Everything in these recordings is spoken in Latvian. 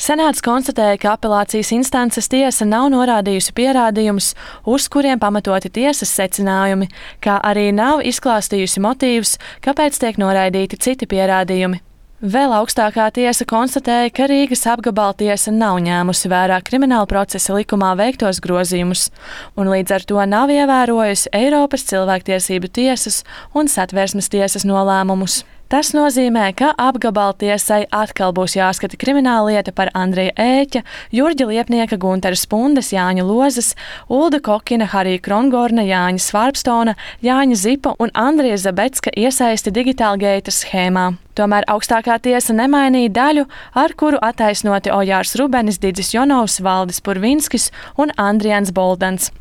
Senāts konstatēja, ka apelācijas instances tiesa nav norādījusi pierādījumus, uz kuriem pamatoti tiesas secinājumi, kā arī nav izklāstījusi motīvus, kāpēc tiek noraidīti citi pierādījumi. Vēl augstākā tiesa konstatēja, ka Rīgas apgabaltiesa nav ņēmusi vērā krimināla procesa likumā veiktos grozījumus, un līdz ar to nav ievērojusi Eiropas cilvēktiesību tiesas un Satversmes tiesas nolēmumus. Tas nozīmē, ka apgabaltiesai atkal būs jāskata krimināllieta par Andreja Ēķa, Jurģa Liepnieka, Guntera Spundes, Jāņa Lozes, Ulda Kokina, Harija Krongorna, Jāņa Svārpstona, Jāņa Zipa un Andrija Zabecka iesaisti Digitālgeita schēmā. Tomēr augstākā tiesa nemainīja daļu, ar kuru attaisnoti Ojārs Rubenis, Didzis Jonovs, Valdis Purvinskis un Andrijans Boldans.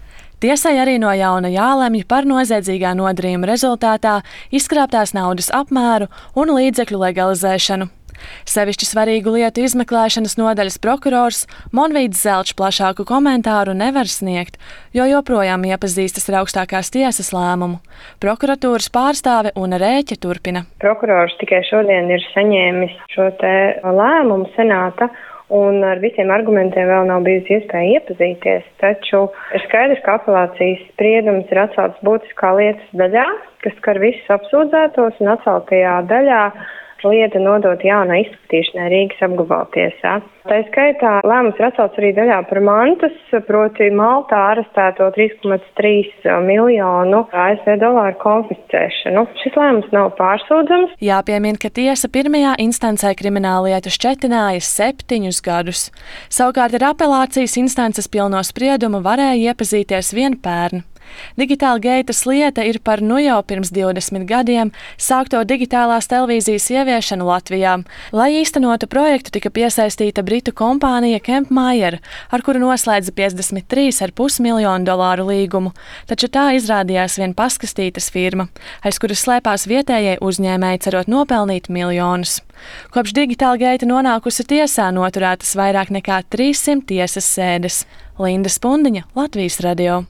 Tiesai arī no jauna jālemj par noziedzīgā nodarījuma rezultātā izkrāptās naudas apmēru un līdzekļu legalizēšanu. Sevišķi svarīgu lietu izmeklēšanas nodaļas prokurors Monvīds Zelčs plašāku komentāru nevar sniegt, jo joprojām iepazīstas ar augstākās tiesas lēmumu. Prokuratūras pārstāve Una Rēķe turpina. Prokurors tikai šodien ir saņēmis šo te lēmumu senāta, un ar visiem argumentiem vēl nav bijusi iespēja iepazīties, taču ir skaidrs, ka apelācijas spriedums ir atcelts būtiskā lietas daļā, kas skar visus apsūdzētos, un atceltajā daļā lieta nodot jaunai izskatīšanai Rīgas apgabaltiesā. Tā skaitā lēmums ir atcelts arī daļā par mantas, proti Maltā arestēto 3,3 miljonu ASV dolāru konfiscēšanu. Šis lēmums nav pārsūdzams. Jāpiemina, ka tiesa pirmajā instancē krimināllietu šķetināja 7 gadus. Savukārt ar apelācijas instances pilno spriedumu varēja iepazīties vien pērn. Digitālgeitas lieta ir par jau pirms 20 gadiem sākto digitālās televīzijas ieviešanu Latvijā. Lai īstenotu projektu, tika piesaistīta britu kompānija Kempmajer, ar kuru noslēdza $53,5 miljonu līgumu, taču tā izrādījās vien paskastītas firma, aiz kuras slēpās vietējie uzņēmēji, cerot nopelnīt miljonus. Kopš Digitālgeita nonākusi tiesā noturētas vairāk nekā 300 tiesas sēdes. Linda Spundiņa, Latvijas radio.